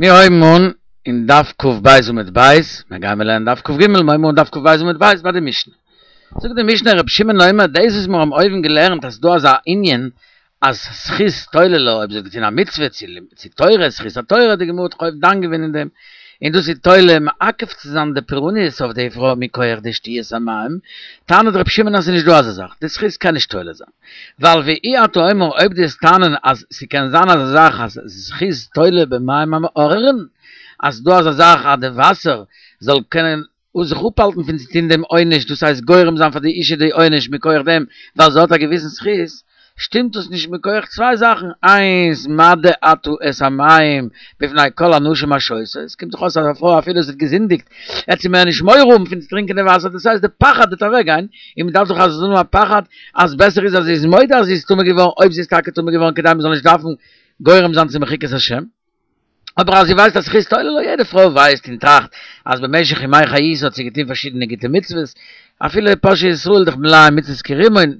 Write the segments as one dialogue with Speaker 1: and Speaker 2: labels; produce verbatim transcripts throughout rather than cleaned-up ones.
Speaker 1: מיר הייבן אן אין דף קב עמוד בית, מיר גייען מיר לערנען דף קג, מיר הייבן אן דף קב עמוד בית ביי די משנה. זאגט די משנה רבי שמעון אומר, דאס וואס מיר האבן אויבן געלערנט אז ס'דא אזא ענין אז זכות תולה לה, אויב זי האט געטון א מצוה צו תורה, זכות התורה, די גמרא האט דאך אויבן דן געווען אין דעם, און דאס איז תולה מעכב צו זיין די פורעניות אויף די פרוי מכח די שתיית המים, טענה'ט רבי שמעון אז ס'איז נישט דא אזא זאך, די זכות קען נישט תולה זיין. ווייל ואי אתה אומר אויב דו וועסט טענה'ן אז ס'קען זיין אזא זאך אז זכות תולה במים המאררים, אז ס'דא אזא זאך אז די וואסער זאל קענען זיך אפהאלטן פון צו טון דעם עונש, דאס הייסט גורם זיין פאר די אישה די עונש מכח דעם ווייל זי האט א געוויסן זכות, שטימט דאס נישט מכח צוויי זאכן, איינס מדה אתה את המים בפני כל הנשים השותות, עס קומט דאך אויס אז א פרוי אפילו זי האט געזינדיגט וועט זי מער נישט מורא האבן פון צו טרינקען די וואסער, דאס הייסט די פחד וועט אוועק גיין, און מען דארף דאך אז זי זאל האבן א פחד אז בעסער איז אז זי איז מודה אז זי איז טמא געווארן אויב זי איז טאקע טמא געווארן כדי מען זאל נישט דארפן גורם זיין צו מחיקת השם. אבער אז זי ווייסט אז זכות תולה לה, יעדע פרוי ווייסט און טראכט אז במשך ימי חיותה האט זי געטון פארשידענע גוטע מצוות, אפילו פושעי ישראל דאך מלאים מצוות כרימון,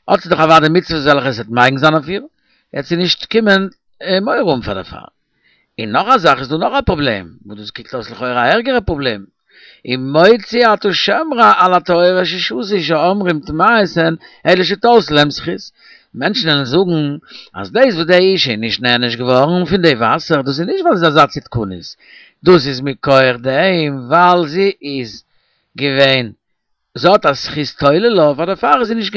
Speaker 1: האט זי דאך אוודאי מצוות וועלכע עס וועט מגין זיין אויף איר, וועט זי נישט קומען מורא האבן פאר דערפאר. און נאך א זאך איז דא נאך א פראבלעם, וואס דאס קוקט אויס לכאורה א ערגערע פראבלעם, ומוציא אתה שם רע על הטהורות ששתו שאומרים טמאות הן אלא שתלתה להם זכות. מענטשן וועלן זאגן אז דאס וואס די אישה איז נישט נענש געווארן פון די וואסער דאס איז נישט ווייל זי איז אזא צדקנית, דאס איז מכח דעם ווייל זי איז געווען זי האט א זכות תולה לה פאר דערפאר איז זי נישט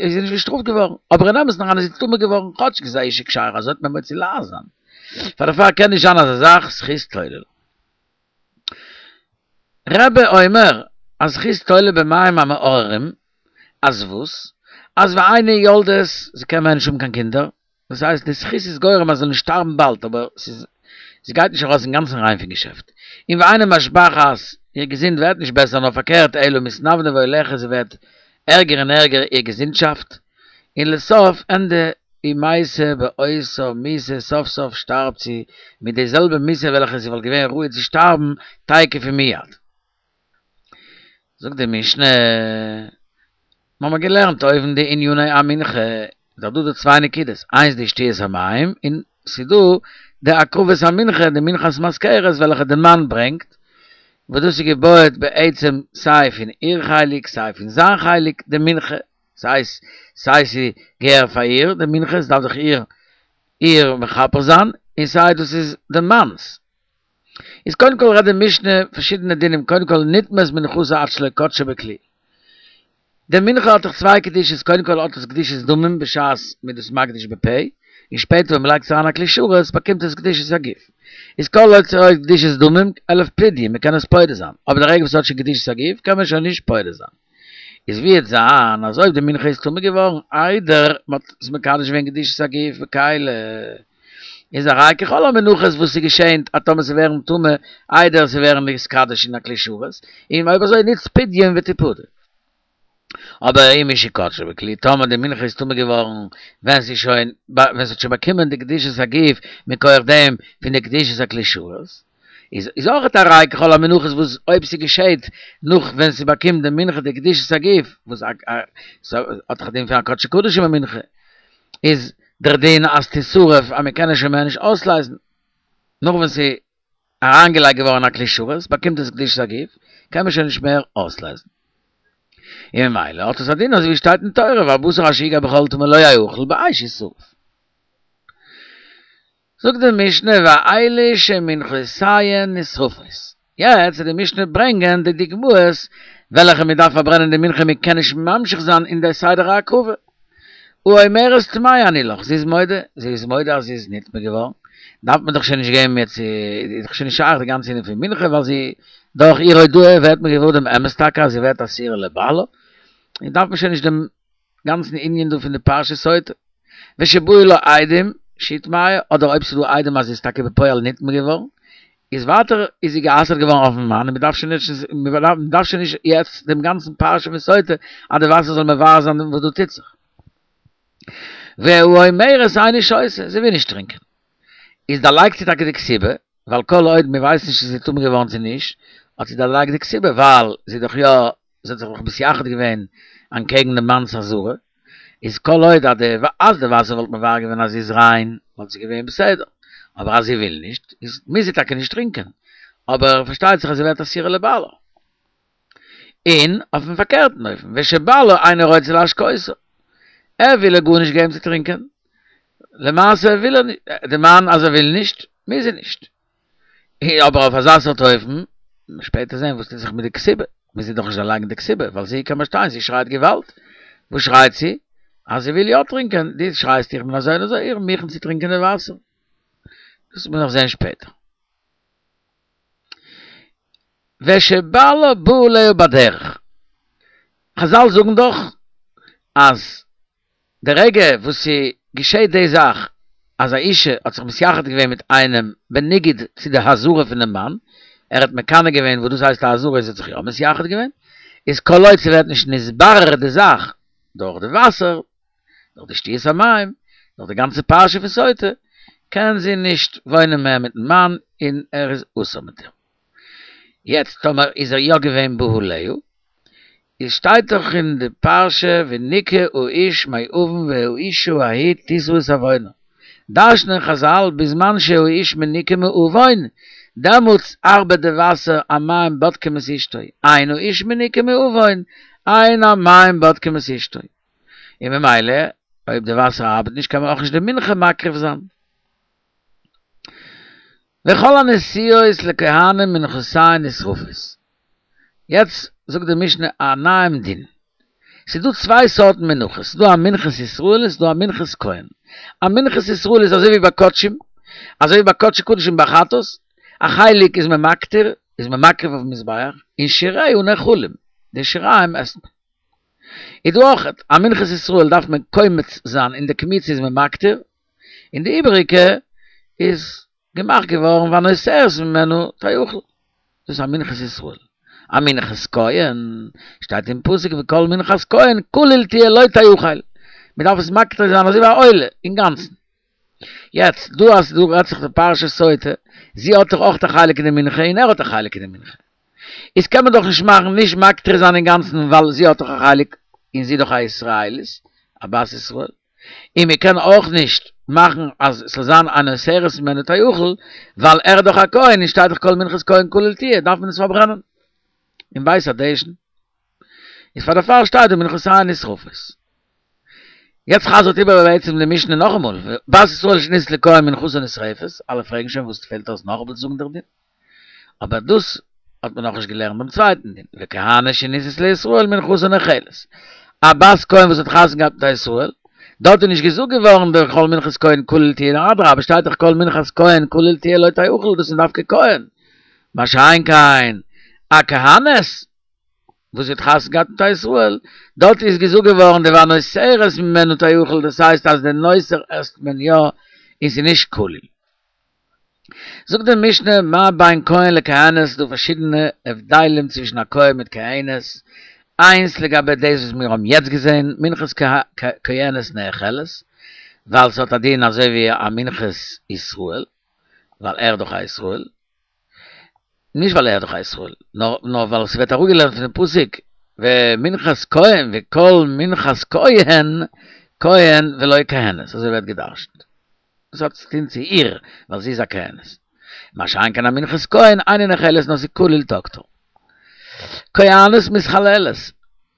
Speaker 1: איז זי נישט געשטראפט געווארן, אבער אין אמת'ן אריין איז זי טמא געווארן כאטשיג זי איז א אישה כשרה אזוי וועט מען מוציא לעז זיין, פאר דערפאר קען נישט זיין אזא זאך זכות תולה לה. רבי אומר אז זכות תולה במים המאררים, אז וואס? אז ואינה יולדת, זי קען מער נישט האבן קיין קינדער, דאס הייסט די זכות איז גורם אז זי זאל נישט שטארבן באלד, אבער ס'איז זי גייט נישט ארויס אינגאנצן ריין פון געשעפט. און ואינה משבחת, איר געזונט ווערט נישט בעסער נאר פארקערט אלא מתנוונה והולכת זי ווערט ערגער און ערגער איר געזונטשאפט, און לסוף ענדע ומתה באותה מיתה סוף סוף שטארבט זי מיט די זעלבע מיתה וועלכע זי וואלט געווען ראוי צו שטארבן תיכף ומיד. זאגט די משנה, מ'האמער געלערנט אויבן די עניני המנחה, איז דאך דא די צוויי נקודות, איינס די שתיית המים, און ס'איז דא די הקרבת המנחה, די מנחת מזכרת וועלכע די מאן ברענגט, וואס דאס איז געבויעט בעצם סיי פון איר חלק סיי פון זיין חלק די מנחה, ס'הייסט סיי ס'געהער פאר איר די מנחה, ס'דארף דאך איר איר מכפר זיין, און סיי דאס איז די מאנ'ס. איז קודם כל רעדט די משנה פארשידענע דינים, קודם כל נטמאת מנחתה עד שלא קדשה בכלי. די מנחה האט דאך צוויי קדושות, קודם כל האט עס קדושת דמים בשעת מ'איז דאס מקדיש בפה, און שפעטער ווען מ'לייגט עס אריין א כלי שרת באקומט עס קדושת הגוף. איז כל עוד ס'האט קדושת דמים אלף פדיון, מ'קען עס פודה זיין, אבער די רגע וואס ס'האט שוין קדושת הגוף קען מען שוין נישט פודה זיין. איז ווי וועט זיין אז אויב די מנחה איז טמא געווארן איידער מ'האט עס מקדש געווען קדושת הגוף בכלי, איז הרי ככל המנחות וואס ס'געשענט אז טאמער ס'ווערן טמא איידער ס'ווערן נתקדש אין א כלי שרת, און אויב אזוי ניצט פדיון ותפדה. אבער אם משקדשה בכלי, טאמער די מנחה איז טמא געווארן ווען ס'איז שוין ווען ס'האט שוין באקומען די קדושת הגוף מכח דעם פון די קדושת הכלי שרת, איז איז אויכעט הרי ככל המנחות וואס אויב ס'געשעט נאך ווען ס'באקומט די מנחה די קדושת הגוף, וואס האט דאך א דין פון א קדשי קדשים א מנחה, איז דער דין אז תשרף אז מ'קען עס שוין מער נישט אויסלייזן נאך ווען ס'איז אריינגעלייגט געווארן אין א כלי שרת באקומט עס קדושת הגוף קען מען שוין נישט מער אויסלייזן. און ממילא האט עס א דין אזוי ווי שטייט אין תורה והבשר אשר יגע בכל טמא לא יאכל באש ישרף. זאגט די משנה ואלו שמנחותיהן נשרפות. יעצט וועט די משנה ברענגען די דוגמאות וועלכע מען דארף פארברענען די מנחה מען קען נישט ממשיך זיין אין די סדר ההקרבה. האומרת טמאה אני לך, זי איז מודה, זי איז מודה אז זי איז נטמא געווארן, דארף מען דאך שוין נישט גיין מער צו, איז דאך שוין נישט שייך די גאנצע ענין פון מנחה ווייל זי, דורך איר הודאה ווערט מען געוואר דעם אמת טאקע אז זי ווערט אסורה לבעלה, און דארף מען שוין נישט דעם גאנצן ענין דא פון די פרשת סוטה. ושבאו לה עדים שהיא טמאה, אדער אויב ס'איז דא עדים אז זי איז טאקע בפועל נטמא געווארן, איז ווייטער איז זי גע'אסר'ט געווארן אויפן מאן און מ'דארף שוין נישט מ'דארף שוין נישט יעצט דעם גאנצן פרשה פון סוטה אז די וואסער זאל מברר זיין וואס דא טוט זיך. והאומרת איני שותה, זי וויל נישט טרינקען. איז דערלייגט זי טאקע די כתובה, ווייל כל עוד מ'ווייסט נישט צו זי איז טמא געווארן צו נישט, האט זי דערלייגט די כתובה ווייל זי איז דאך יא זי האט זיך דאך מתייחד געווען אנטקעגן דעם מאנ'ס אזהרה, איז כל עוד אז די אז די וואסער וואלט מברר געווען אז זי איז ריין וואלט זי געווען בסדר, אבער אז זי וויל נישט, איז מוז זי טאקע נישט טרינקען. אבער פארשטייט זיך אז זי ווערט אסורה לבעלה. און אויפן פארקערטן אופן, ושבעלה אינו רוצה להשקותה. ער וויל איר גארנישט געבן צו טרינקען. למעשה וויל ער נישט, די מאן אז ער וויל נישט, מוז זי נישט. אבער אויף אזא סארט אופן, שפעטער זען וואס טוט זיך מיט די כתובה, מוז זי דאך נישט דערלייגן די כתובה, ווייל זי קען באשטיין, זי שרייט געוואלד. וואס שרייט זי? אז זי וויל יא טרינקען, דו שרייסט איך בין אזוי און אזוי, איך בין מוכן צו טרינקען די וואסער. דאס וועט מען נאך זען שפעטער. ושבעלה בא עליה בדרך. חזל זאגן דאך אז די רגע וואס ס'געשעט די זאך אז א אישה האט זיך מתייחד געווען מיט איינעם בניגוד צו די אזהרה פונעם מאן, ער האט מקנא געווען וואס דאס הייסט א אזהרה און זי האט זיך יא מתייחד געווען, איז כל עוד ס'ווערט נישט נתברר די זאך דורך די וואסער, דורך די שתיית המים, דורך די גאנצע פרשה פון סוטה, קען זי נישט וואוינען מער מיטן מאן און ער איז אסור מיט איר. יעצט טאמער איז ער יא געווען בא עליה, איז שטייט דאך אין די פרשה ונקה האיש מעון והאשה ההיא תשא את עוונה. דרש'נען חזל בזמן שהאיש מנוקה מעון, דעמאלטס ארבעט די וואסער המים בודקים את אשתו, אין האיש מנוקה מעון, אין המים בודקים את אשתו. און ממילא אויב די וואסער ארבעט נישט קען מען אויך נישט די מנחה מקריב זיין. וכל הנשואות לכהנים מנחותיהן נשרפות. יעצט זאגט די משנה א נייעם דין. ס'איז דא צוויי סארטן מנחות, ס'איז דא א מנחת ישראל און ס'איז דא א מנחת כהן. א מנחת ישראל איז אזוי ווי ביי קדשים, אזוי ווי ביי קדשי קדשים ביי חטאת, א חלק איז מען מקטיר, איז מען מקריב אויפן מזבח, און שיריה נאכלים, די שיריים עסט מען. איז דא אויך א מנחת ישראל דארף מען קומץ זיין און די קמיצה איז מען מקטיר, און די איבעריגע איז געמאכט געווארן והנותרת ממנה תאכל. דאס איז א מנחת ישראל. א מנחת כהן, שטייט אין פסוק וכל מנחת כהן כליל תהיה לא תאכל. מען דארף עס מקטיר זיין אזוי ווי א עולה, אינגאנצן. יעצט, דא אז דא רעדט זיך די פרשת סוטה, זי האט דאך אויך א חלק אין די מנחה און ער האט א חלק אין די מנחה. איז קען מען דאך נישט מאכן נישט מקטיר זיין אינגאנצן ווייל זי האט דאך א חלק און זי איז דאך א ישראלית, א בת ישראל. און מען קען אויך נישט מאכן אז ס'זאל זיין הנותרת ממנה תאכל, ווייל ער איז דאך א כהן און שטייט דאך כל מנחת כהן כליל תהיה, דארף מען עס פארברענען אין בית הדשן. איז פאר דערפאר שטייט דא מנחותיהן נשרפות. יעצט חזר'ט איבער בעצם די משנה נאכאמאל, בת ישראל שנישאת לכהן מנחתה נשרפת, אלע פרעגן שוין וואס פעלט אויס נאכאמאל צו זאגן דער דין. אבער דאס האט מען נאכנישט געלערנט ביים צווייטן דין, וכהנת שנישאת לישראל מנחתה נאכלת. א בת כהן וואס האט חתונה געהאט מיט א ישראל, דארט איז נישט געזאגט געווארן דער כל מנחת כהן כליל תהיה, נאר אדרבה שטייט דאך כל מנחת כהן כליל תהיה לא תאכל, דאס איז דווקא כהן. מה שאין כן א כהנת וואס האט חתונה געהאט מיט א ישראל, דארט איז געזאגט געווארן די והנותרת ממנה תאכל, דאס הייסט אז די נותר עסט מען יא און ס'איז נישט כליל. זאגט די משנה מה בין כהן לכהנת, ס'דא פארשידענע הבדלים צווישן א כהן מיט כהנת, איינס לגבי דאס וואס מיר האבן יעצט געזען, מנחת כהנת נאכלת, ווייל ס'האט א דין אזוי ווי א מנחת ישראל, ווייל ער איז דאך א ישראל, נישט ווייל ער איז דאך א ישראל, נאר נאר ווייל ס'ווערט אראפגעלערנט פונעם פסוק ומנחת כהן וכל מנחת כהן כהן ולא כהנת, אזוי ווערט גע'דרש'נט. דאס האט צו טון צו איר, ווייל זי איז א כהנת. מה שאין כן א מנחת כהן, אינה נאכלת נאר ס'איז כליל תקטר. כהנת מתחללת,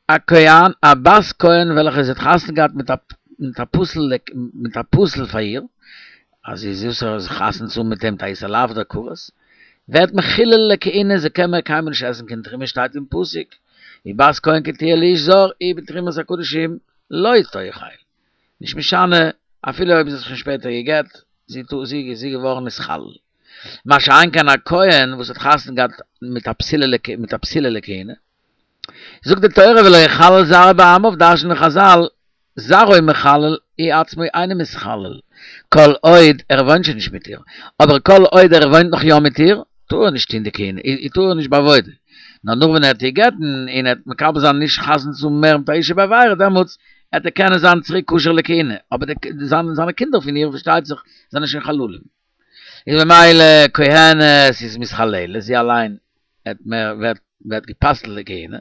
Speaker 1: א כהן, א בת כהן וועלכע זי האט חתונה געהאט מיט א מיט א פסול מיט א פסול פאר איר, אז זי איז אסור זיך חתונה צו האבן מיט אים מיט א איסור לאו אדער כרת, ווערט מחולל לכהונה, זי קען מער קיינמאל נישט עסן קיין תרומה שטייט אין פסוק, ובת כהן כי תהיה לאיש זר, היא בתרומת הקדשים לא תאכל. נישט משנה אפילו אויב זי האט זיך שוין שפעטער גע'גט, זי זי איז געווארן נתחלל. מה שאין כן א כהן וואס האט חתונה געהאט מיט א פסולה מיט א פסולה לכהונה, זאגט די תורה ולא יחלל זרעו בעמיו, דרש'נען חזל, זרעו מחלל, הוא עצמו אינו מתחלל, כל עוד ער וואוינט שוין נישט מיט איר, אבער כל עוד ער וואוינט נאך יא מיט איר, טאר ער נישט טון די כהונה, טאר ער נישט בעבודה, נאר נאך ווען ער וועט איר גט'ן און ער וועט מקבל זיין נישט חתונה צו האבן מער מיט א אשה בעבירה, דעמאלטס וועט ער קענען זיין צוריק כשר לכהונה, אבער די זיינע קינדער פון איר פארשטייט זיך זענען שוין חללים. איז ממילא כהנת איז מתחללת, זי אליין וועט מער ווערט ווערט גע'פסל'ט לכהונה,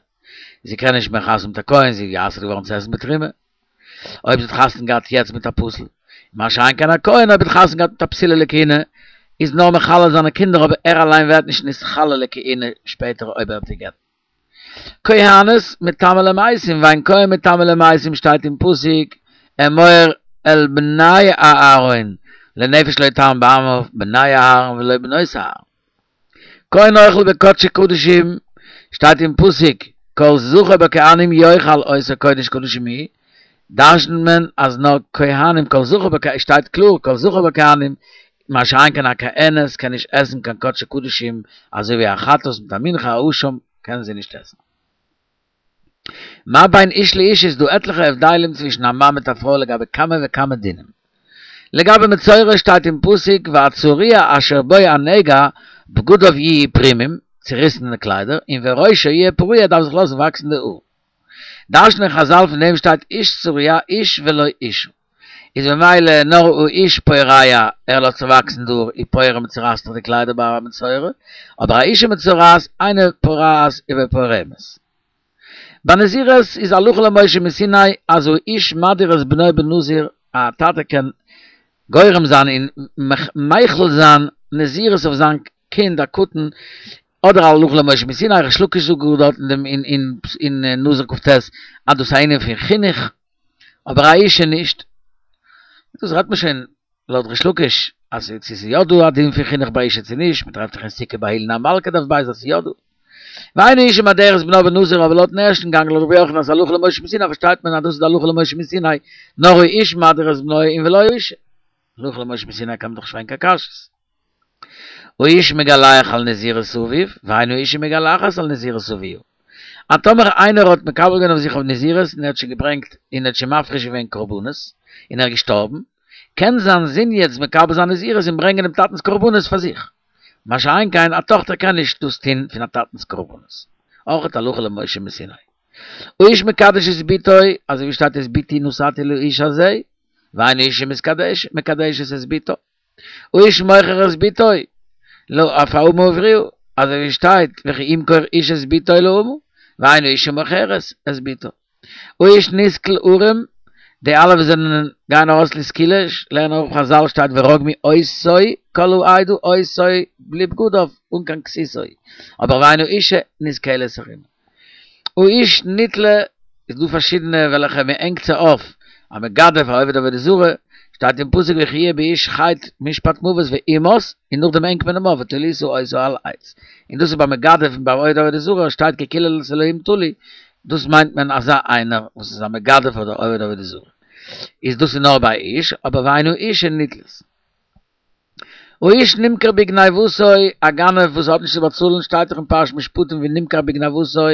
Speaker 1: זי קען נישט מער חתונה מיט א כהן, זי איז גע'אסר'ט געווארן צו עסן בתרומה, אויב זי האט חתונה געהאט יעצט מיט א פסול, מה שאין כן א כהן אויב האט חתונה געהאט מיט א פסולה לכהונה, איז נאר מחלל זיינע קינדער אבער ער אליין ווערט נישט נתחלל לכהונה שפעטער אויב ער האט זיי גע'גט. כהנת מטמאה למתים, ואין כהן מטמא למתים שטייט אין פסוק אמור אל בני אהרן לנפש לא יטמא בעמיו בני אהרן ולא בנות אהרן. כהן אוכל בקדשי קדשים שטייט אין פסוק כל זכר בכהנים יאכל אותו קודש קדשים הוא, דרש'נט מען אז נאר כהנים כל זכר בכהנים שטייט קלאר כל זכר בכהנים מה שאין כן א כהנת קען נישט עסן קיין קדשי קדשים אזוי ווי א חטאת מיט א מנחה א אשם קענען זיי נישט עסן. מה בין איש לאשה איז דא עטליכע הבדלים צווישן א מאן מיט א פרוי לגבי כמה וכמה דינים. לגבי מצורע שטייט אין פסוק והצרוע אשר בו הנגע בגדיו יהיו פרומים, צוריסענע קליידער, און וראשו יהיה פרוע דארף זיך לאזן וואקסן די האר. דרש'נען חזל פון דעם שטייט איש צרוע איש ולא אשה. איז ממילא נאר האיש פורע ער לאזט זיך וואקסן די האר ופורע מ'צורייסט זיך די קליידער ביי א מצורע, אבער א אשה מצורעת אינה פורעת ופורמת. ביי נזירות איז הלכה למשה מסיני אז האיש מדיר את בנו בנזיר א טאטע קען גורם זיין און מחיל זיין נזירות אויף זיין קינד א קטן אדער הלכה למשה מסיני ריש לקיש זאגט גאר דארט אין דעם אין אין נזיר כ"ט אז דאס איז א ענין פון חינוך אבער א אשה נישט דאס רעדט מען שוין לויט ריש לקיש אז צו ס'איז יא דא א דין פון חינוך ביי אשה צו נישט, מ'טרעפט דאך אין סוכה ביי אילן המלכה דף ב' אז ס'איז יא דא. ואין האשה מדרת בנה בנזיר אבער לויטן ערשטן גאנג לויט רבי יוחנן אז הלכה למשה מסיני פארשטייט מען אז דאס איז די הלכה למשה מסיני נאר האיש מדיר את בנו און ולא האשה. הלכה למשה מסיני קען מען דאך נישט פרעגן קיין קשיות. האיש מגלח על נזירות אביו, ואין האשה מגלחת על נזירות אביה. אז טאמער איינער האט מקבל געווען אויף זיך אויף נזירות און ער האט שוין געברענגט און ער האט שוין מפריש געווען קרבנות און ער איז געשטארבן, קען זיין זון יעצט מקבל זיין נזירות און ברענגען דעם טאטנ'ס קרבנות פאר זיך. מה שאין כן א טאכטער קען נישט דאס טון פון א טאטנ'ס קרבנות. אויך הלכה למשה מסיני. האיש מקדש את בתו, אזוי ווי שטייט את בתי נתתי לאיש הזה, ואין האשה מקדשת את בתו. האיש מוכר את בתו, אויף א אמה העבריה, אזוי ווי שטייט וכי ימכור איש את בתו לאמה, ואין האשה מוכרת את בתו. האיש נסקל ערום, די אלע וואס זענען גייען ארויס לסקילה, לערנען אויך חזל שטייט ורגמו אותו כל העדה אותו בלי בגדיו אן קיין כסותו, אבער ואין האשה נסקלת ערומה. האיש נתלה, איז דא פארשידענע וועלכע מען הענגט זיי אויף, א מגדף א עובד עבודה זרה, שטייט אין פסוק וכי יהיה באיש חטא משפט מוות והומת, און נאכדעם הענגט מען אים אויף ותלית אותו על עץ. און דאס איז ביי מגדף און ביי עובד עבודה זרה שטייט כי קללת אלהים תלוי, דאס מיינט מען אזא איינער וואס איז א מגדף אדער עובד עבודה זרה. איז דאס איז נאר ביי איש, אבער ואין האשה נתלית. האיש נמכר בגניבתו, א גנב וואס האט נישט צו באצאלן שטייט דאך אין פרשת משפטים ונמכר בגניבתו,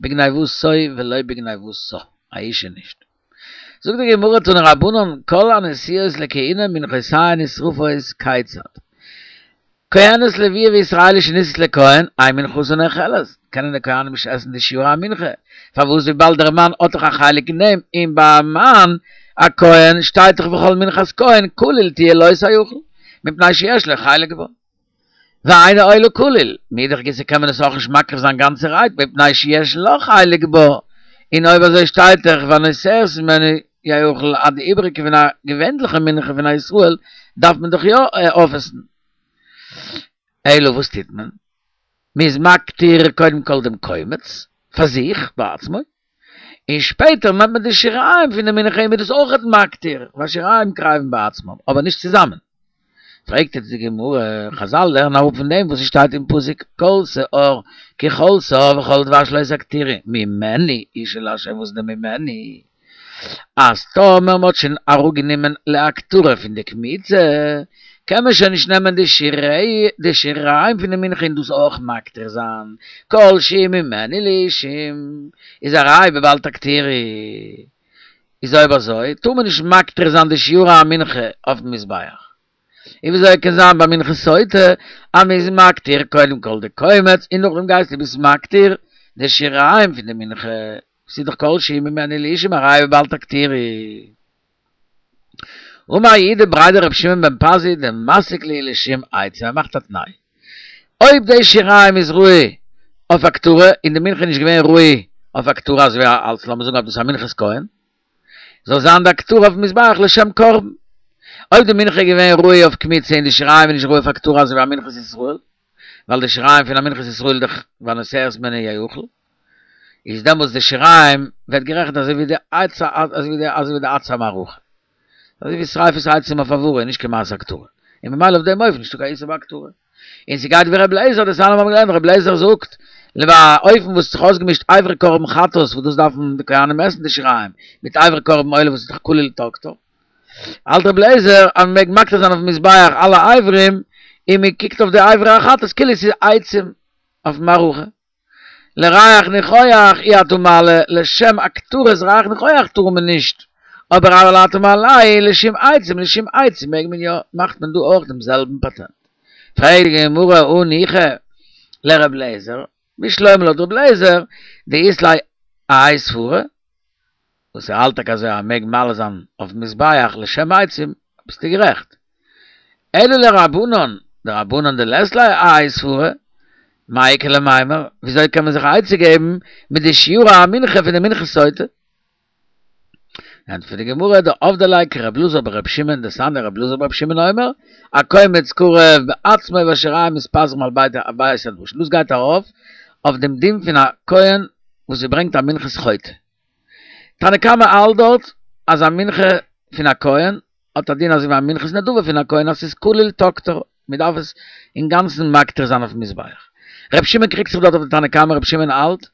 Speaker 1: בגניבתו ולא בגניבתה, א אשה נישט. זאגט די גמרא תנו רבנן כל הנשואות לכהונה מנחותיהן נשרפות כיצד? כהנת לויה וישראלית שנישאת לכהן, אין מנחתן נאכלת, קענען די כהנים נישט עסן די שירי המנחה, פארוואס וויבאלד דער מאן האט דאך א חלק אין דעם, און ביי א מאן א כהן שטייט דאך וכל מנחת כהן כליל תהיה לא תאכל, מפני שיש לו חלק בה. ואינה עולה כליל, מאידך גיסא קען מען עס אויך נישט מקריב זיין גאנצערהייט מפני שיש לה חלק בה, און אויב אזוי שטייט דאך והנותרת ממנה יאכל אז די איבעריגע פון א געווענליכע מנחה פון א ישראל דארף מען דאך יא אויפעסן. אלא וואס טוט מען? מען איז מקטיר קודם כל דעם קומץ פאר זיך בעצמו, און שפעטער נעמט מען די שיריים פון די מנחה און מען איז דאס אויכעט מקטיר, והשיריים קרבין בעצמם, אבער נישט צוזאמען. פרעגט יעצט די גמרא, חזל לערנען אראפ פון דעם וואס עס שטייט אין פסוק כל שאור כי כל שאור וכל דבש לא תקטירו ממנו אשה לה' וואס איז די ממנו? אז טאמער מ'האט שוין אראפגענומען להקטרה פון די קמיצה, קען מען שוין נישט נעמען די שירי די שיריים פון די מנחה און דאס אויך מקטיר זיין, כל שהוא ממנו לאישים איז א ראי' בבל תקטירו. איז אויב אזוי טאר מען נישט מקטיר זיין די שירי המנחה אויפן מזבח. און וויאזוי קען זיין ביי מנחת סוטה אז מ'איז מקטיר קודם כל די קומץ און נאכדעם גייסטו ביסט מקטיר די שיריים פון די מנחה, ס'איז דאך כל שהוא ממנו לאישים א ראיה בבל תקטירו. אמר יהודה בריה דרבי שמעון בן פזי דמסיק להו לשום עצה ער מאכט א תנאי אויב די שיריים איז ראוי אויף הקטרה און די מנחה איז נישט געווען ראוי אויף הקטרה אזוי ווי אלס לאמיר זאגן אז דאס איז א מנחת כהן זאל זיין די הקטרה אויפן מזבח לשם קרבן אויב די מנחה געווען ראוי אויף קמיצה און די שיריים איז נישט ראוי אויף הקטרה אזוי ווי א מנחת ישראל, ווייל די שיריים פון א מנחת ישראל דאך והנותרת הימנה יאכל, איז דעמאלטס די שיריים ווערט גערעכנט אזוי ווי די עצי אזוי ווי די אזוי ווי די עצי המערכה. אזוי ווי שריפת העצים אויף הבערה, נישט קיין מעשה הקטרה. און ממילא אויף דעם אופן נישטא קיין איסור בהקטרה. און ס'גייט ווי ר' לעזער, דתניא מיר האבן געלערנט ר' לעזער זאגט, ביי אן אופן וואס האט זיך אויסגעמישט אברי קרבן חטאת וואס דאס דארפן די כהנים עסן די שיריים, מיט אברי קרבן עולה וואס איז דאך כליל תקטר. האלט ר' לעזער אז מ'מעג מקטיר זיין אויפן מזבח אלע אברים, און מ'קוקט אויף די אברי החטאת כאילו ס'איז עצים אויפן מערכה. לריח ניחוח אי אתה מעלה, לשם הקטרת ריח ניחוח טאר מען נישט, אבער אבל אתה מעלהו לשם עצים, לשם עצים מעג מען יא, מאכט מען דא אויך דעם זעלבן פאטענט. פרעגט די גמרא הניחא לר' לעזער, בשלמא לויט ר' לעזער, דאית ליה האי סברא, וואס ער האלט טאקע אזוי אז מען מעג מעלה זיין אויפן מזבח לשם עצים, ביסטו גערעכט. אלא לרבנן, דרבנן דלית להו האי סברא, מאי איכא למימר, וויאזוי קען מען זיך א עצה געבן מיט די שיורי המנחה פון די מנחת סוטה? ענטפערט די גמרא, דעבדי ליה כר' אלעזר בר' שמעון, דתניא ר' אלעזר בר' שמעון אומר, הקומץ קרב בעצמו והשיריים מתפזרים על בית הדשן, דאס גייט ארויף אויף דעם דין פון א כהן וואס ער ברענגט א מנחת חוטא. תנא קמא האלט דארט אז א מנחה פון א כהן האט א דין אזוי ווי א מנחת נדבה פון א כהן אז ס'איז כליל תקטר, מ'דארף עס אינגאנצן מקטיר זיין אויפן מזבח. ר' שמעון קריגט זיך דארט אויף די תנא קמא, ר' שמעון האלט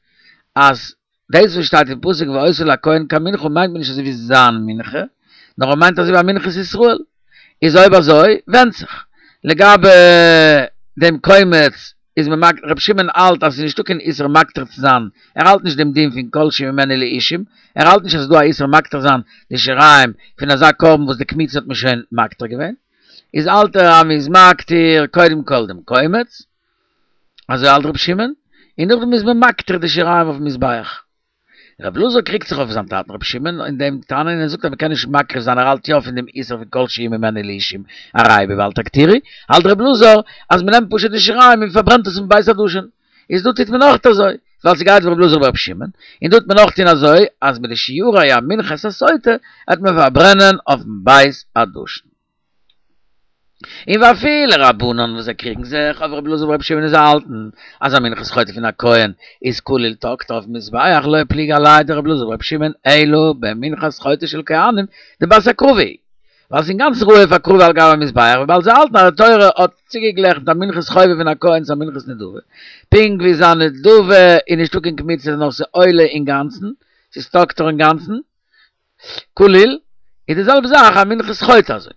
Speaker 1: אז דאס וואס שטייט אין פסוק והיתה לכהן כמנחה מיינט מען נישט אזוי ווי זיין מנחה, נאר ער מיינט אזוי ווי א מנחת ישראל. איז אויב אזוי ווענדט זיך לגבי דעם קומץ איז מען מקטיר, רבי שמעון האלט אז עס איז נישטא קיין איסור מקטיר צו זיין, ער האלט נישט דעם דין פון כל שממנו לאישים, ער האלט נישט אז עס איז דא א איסור מקטיר זיין די שיריים פון אזא קרבן וואס די קמיצה האט מען שוין מקטיר געווען, איז האלט ער אז מען איז מקטיר קודם כל דעם קומץ, אזוי האלט רבי שמעון, און נאכדעם איז מען מקטיר די שיריים אויפן מזבח. רבי אלעזר קריגט זיך אויף זיין טאטן רבי שמעון אין דעם תנא און ער זאגט אז מ'קען נישט מקריב זיין ער האלט יא פון דעם איסור פון כל שהוא ממנו לאישים הרי בבל תקטירו, האלט רבי אלעזר אז מ'נעמט פשוט די שיריים און מ'פארברענט עס אין בית הדשן, איז דא טוט מען אויך אזוי, ווייל ס'גייט ווי רבי אלעזר ברבי שמעון, און דא טוט מען אויך טון אזוי אז מיט די שיורי המנחת הסוטה העט מען פארברענען אויפן בית הדשן. און ואפילו רבנן וואס זיי קריגן זיך אויף רבי אלעזר ברבי שמעון און זיי האלטן אז א מנחת חוטא פון א כהן איז כליל תקטר אויפן מזבח לא פליגי עליה דרבי אלעזר ברבי שמעון אלא במנחת חוטא של כהנים דבת הקרבה היא ווייל ס'איז אינגאנצן ראוי אויף הקרבה על גבי המזבח וויבאלד זיי האלטן אז די תורה האט צוגעגלעכנט א מנחת חובה פון א כהן צו א מנחת נדבה פונקט ווי זיין נדבה איז נישטא קיין קמיצה נאר ס'עולה אינגאנצן ס'איז תקטר אינגאנצן כליל, איז די זעלבע זאך א מנחת חוטא אזוי.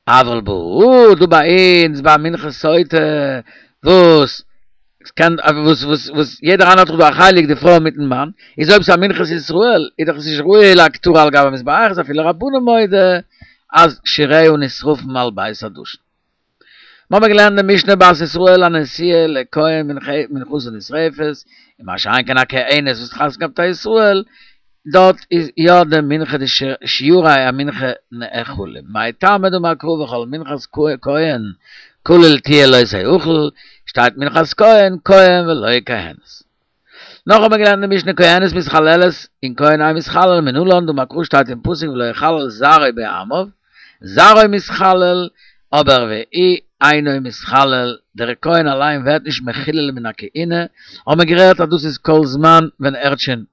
Speaker 1: אבל בהא, דא ביי אונז ביי מנחת סוטה, וואס קען וואס וואס וואס יעדער איינער האט דאך דא א חלק די פרוי מיטן מאן, איז אויב ס'איז א מנחת ישראל איז דאך עס נישט ראוי להקטרה על גבי המזבח, איז אפילו רבנן מודה אז שיריה נשרפים על בית הדשן. מ'האמער געלערנט די משנה בת ישראל הנשואה לכהן מנחתה נשרפת, און מה שאין כן א כהנת וואס האט חתונה געהאט מיט א ישראל, דארט איז יא די מנחה די שיורי המנחה נאכלים, מאי טעמא דאמר קרא וכל מנחת כהן כליל תהיה לא תאכל, שטייט מנחת כהן כהן ולא כהנת. נאך האט מען געלערנט די משנה כהנת מתחללת און כהן אינו מתחלל מנלן דאמר קרא שטייט אין פסוק ולא יחלל זרעו בעמיו, זרעו מתחלל אבער והוא אינו מתחלל, דער כהן אליין ווערט נישט מחולל מן הכהונה, האט מען גערעדט אז דאס איז כל זמן ווען ער האט שוין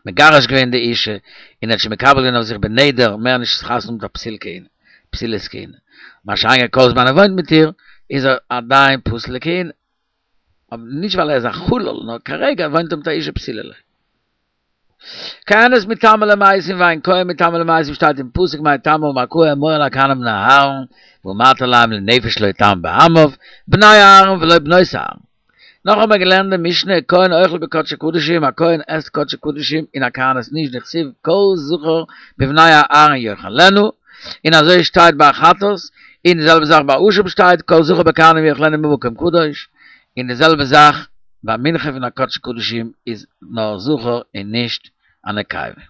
Speaker 1: מגרש געווען די אישה און ער האט שוין מקבל געווען אויף זיך בנדר מער נישט חתונה מיט א פסול כהונה, פסולת כהונה, מה שאין כן כל זמן ער וואוינט מיט איר איז ער עדיין פסול לכהונה. אבער נישט ווייל ער איז א חלל, נאר כרגע וואוינט ער מיט א אישה פסולה לו. כהנת מטמאה למתים ואין כהן מטמא למתים שטייט אין פסוק מאי טעמא אמר קרא אמור אל הכהנים בני אהרן ואמרת אליהם לנפש לא יטמא בעמיו בני אהרן ולא בנות אהרן. נאך האבן מיר געלערנט די משנה כהן אוכל בקדשי קדשים א כהן עסט קדשי קדשים און א כהנת נישט דכתיב כל זכר בבני אהרן יאכלנה און אזוי שטייט ביי חטאת און די זעלבע זאך ביי אשם שטייט כל זכר בכהנים יאכלנה במקום קדוש, און די זעלבע זאך ביי מנחה פון א קדש קדשים איז נאר זכר און נישט א נקבה.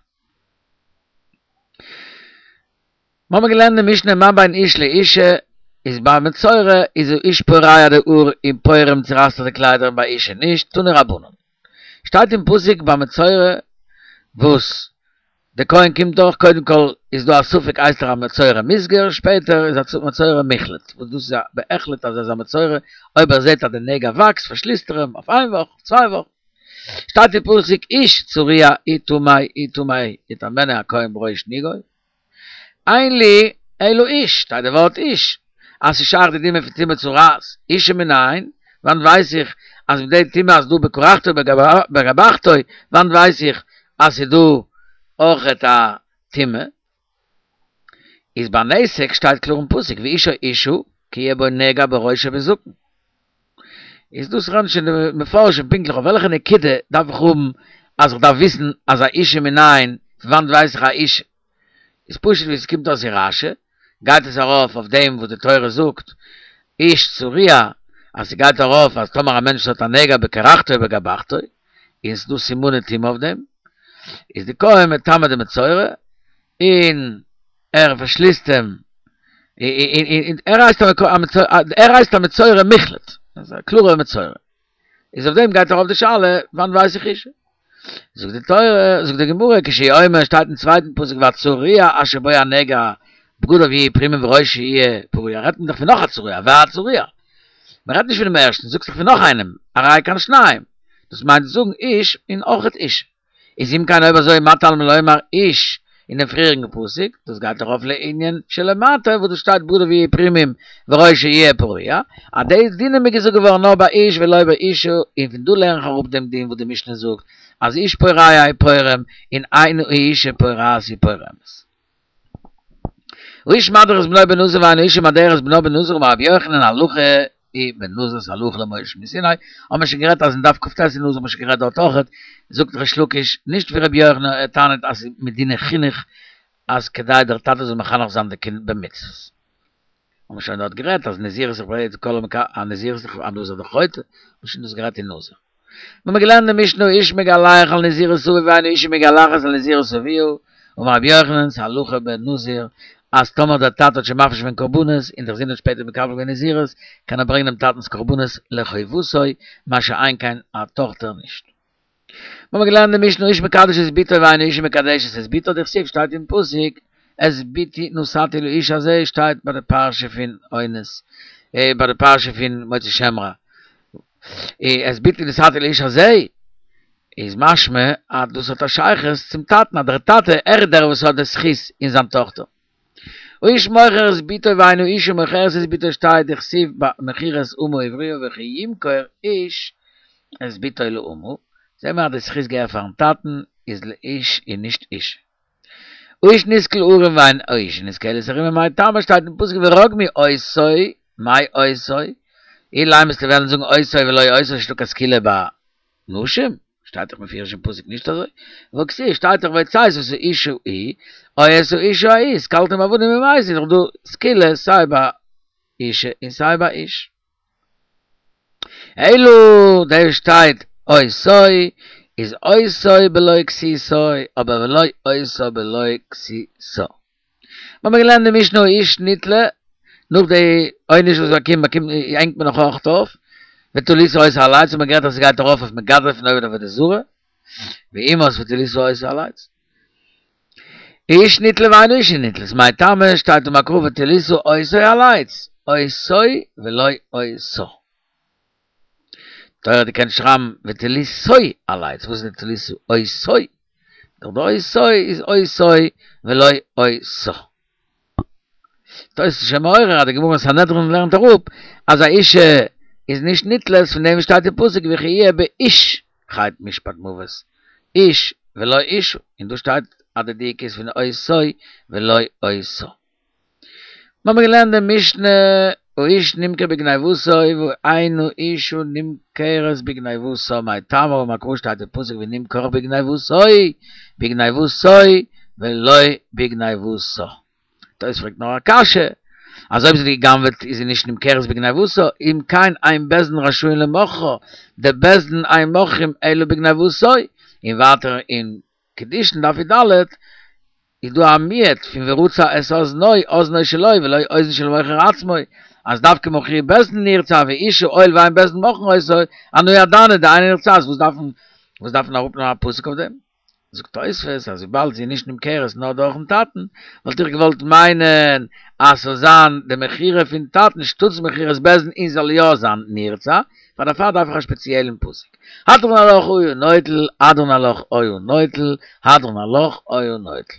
Speaker 1: מ'האמער געלערנט די משנה מה בין איש לאישה, איז ביי מצורע איז האיש פורע די האר און פורם צורייסט ער די קליידער און ביי אישה נישט, תנו רבנן. שטייט אין פסוק ביי מצורע וואס דער כהן קומט דורך, קודם כל איז דא א ספק הייסט ער א מצורע מוסגר, שפעטער איז א מצורע מוחלט, וואס דאס איז א בהחלט אז ער איז א מצורע, אויב ער זעט אז די נגע וואקסט פארשליסט ער אים אויף איין וואך, אויף צוויי וואכן. שטייט אין פסוק איש צרוע הוא טמא הוא טמא יטמאנו הכהן בראש נגעו, אין לי אלא איש, שטייט די ווארט איש, אז ס'איז שייך די דינים פון טומאת צרעת, אשה מנין, וואנעט ווייס איך אז מיט די טומאה אז דא בקרחתו בגבחתו, וואנעט ווייס איך אז ס'איז דא אויכעט א טומאה? איז ביי נתק שטייט קלאר אין פסוק ואיש או אשה כי יהיה בו נגע בראש או בזקן. איז דאס רעדן שוין די מפרשים פונקטליך אויף וועלכע נקודה דארף איך האבן אז איך דארף וויסן אז א אשה מנין, פון וואנעט ווייס איך א אשה? איז פשוט ווי עס קומט אויס אין רשי, גייט עס ארויף אויף דעם וואס די תורה זאגט איש צרוע, אז ס'גייט ארויף אז טאמער א מענטש האט א נגע בקרחתו ובגבחתו, און ס'דא סימני טומאה אויף דעם, איז די כהן מטמא די מצורע, און ער פארשליסט אים, ער הייסט ער הייסט א מצורע מוחלט, א קלארער מצורע, איז אויף דעם גייט ארויף די שאלה, וואנעט ווייס איך אשה? זאגט די תורה, זאגט די גמרא, כשהוא אומר, שטייט אין צווייטן פסוק והצרוע אשר בו הנגע, בגדיו יהיו פרומים וראשו יהיה פרוע, רעדט מען דאך פון נאך א צרוע, והצרוע. מען רעדט נישט פונעם ערשטן, זאגסט דאך פון נאך איינעם, הרי כאן שניים. דאס מיינט צו זאגן איש און אויכעט אשה. איז אם כן אויב אזוי מה תלמוד לומר איש אין דעם פריעריגן פסוק, דאס גייט ארויף לענין שלמטה וואס דא שטייט בגדיו יהיו פרומים וראשו יהיה פרוע, אז די דינים איז געזאגט געווארן נאר ביי איש ולא באשה, און פון דא לערן איך אראפ דעם דין וואס די משנה זאגט אז איש פורע הוא פורם און אין האשה פורעת היא פורמת. האיש מדיר את בנו בנזיר ואין האשה מדרת בנה בנזיר אמר רבי יוחנן הלכה היא בנזיר הלכה למשה מסיני, האבן מיר שוין גערעדט אז אין דף כ"ט אין נזיר האבן מיר שוין גערעדט דארט אויכעט, זאגט ריש לקיש נישט ווי רבי יוחנן ער טענה'ט אז ס'איז מדיני חינוך אז כדי דער טאטע זאל מחנך זיין די קינד במצוות. האבן מיר שוין דארט גערעדט אז נזירות איז ביי כל א נזירות איז א נזיר דאך חוטא, האבן מיר שוין דאס גערעדט אין נזיר. מיר האבן געלערנט די משנה האיש מגלח על נזירות אביו ואין האשה מגלחת על נזירות אביה, אמר רבי יוחנן ס'הלכה בנזיר אז טאמער דער טאטע האט שוין מפריש געווען קרבנות און דער זון האט שפעטער מקבל געווען נזירות קען ער ברענגען דעם טאטנ'ס קרבנות לחובתו מה שאין כן א טאכטער נישט. מיר האבן געלערנט די משנה האיש מקדש את בתו ואין האשה מקדשת את בתה דכתיב שטייט אין פסוק את בתי נתתי לאיש הזה שטייט ביי די פרשה פון אונס ביי די פרשה פון מוציא שם רע את בתי נתתי לאיש הזה איז משמע אז דאס האט א שייכות צום טאטן אז דער טאטע ער איז דער וואס האט די זכות אין זיין טאכטער. האיש מוכר את בתו ואין האשה מוכרת את בתו שטייט דכתיב במכירת אמה העבריה וכי ימכור איש את בתו לאמה זעהן מיר אז די זכות געהער פארן טאטן איז לאיש און נישט אשה. האיש נסקל ערום ואין האשה נסקלת ערומה מאי טעמא שטייט אין פסוק ורגמו אותו מאי אותו אילימא וועסטו וועלן זאגן אותו ולא אותה נישטא קיין סקילה ביי נשים? שטייט דאך מפורש אין פסוק נישט אזוי? והכתיב שטייט דאך והוצאת את האיש ההוא או את האשה ההיא וסקלתם באבנים ומתו איז דאך דא סקילה סיי ביי אשה און סיי ביי איש. אלא דא שטייט אותו איז אותו בלא כסותו אבער ולא אותה בלא כסותה. מיר האבן געלערנט די משנה האיש נתלה, נאך די עונש וואס באקומט באקומט הענגט מען נאך אויך אויף, ותלית אותו על עץ, האט מען גערעדט אז ס'גייט ארויף אויף מגדף און עובד עבודה זרה, והומת ותלית אותו על עץ. האיש נתלה ואין האשה נתלית, מאי טעמא שטייט אמר קרא ותלית אותו על עץ, אותו ולא אותה. תורה האט געקענט שרייבן ותליתו על עץ, וואס איז די תלית אותו? דאך די אותו איז אותו ולא אותה. תוס' איז שוין מעורר אז די גמרא אין סנהדרין לערנט אראפ אז א אישה איז נישט נתלית פון דעם שטייט אין פסוק וכי יהיה באיש חטא משפט מוות איש ולא אשה, און דא שטייט אז די דיוק איז פון אותו ולא אותה. מיר האבן געלערנט די משנה האיש נמכר בגניבתו ואין האשה נמכרת בגניבתה מאי טעמא אמר קרא שטייט אין פסוק ונמכר בגניבתו בגניבתו ולא בגניבתה. תוס' פרעגט נאר א קשיא אז אויב זי האט גע'גנב'עט איז זי נישט נמכרת בגניבתה אם כן אין בית דין רשאין למוכרה דבית דין אין מוכרים אלא בגניבתו און ווייטער אין קידושין דף י"ד איז דא א מיעוט פון ורצע את אזנו, אזנו שלו ולא אוזן של מוכר עצמו, אז דווקא מכרוה בית דין נרצע ואשה הואיל ואין בית דין מוכרין אותה, אנא ידענא דאינה נרצעת, וואס דארף מען וואס דארף מען אראפנעמען א פסוק אויף דעם? זאגט תוספות אז וויבאלד זי איז נישט נמכרת נאר דורכן טאטן, וואלט איך געוואלט מיינען אז ס'זאל זיין די מכירה פון טאטן שטאטס מכירת בית דין און זאל יא זיין נרצע, פאר דערפאר דארף איך א שפעציעלן פסוק. הדרן עלך היה נוטל, הדרן עלך היה נוטל, הדרן עלך היה נוטל.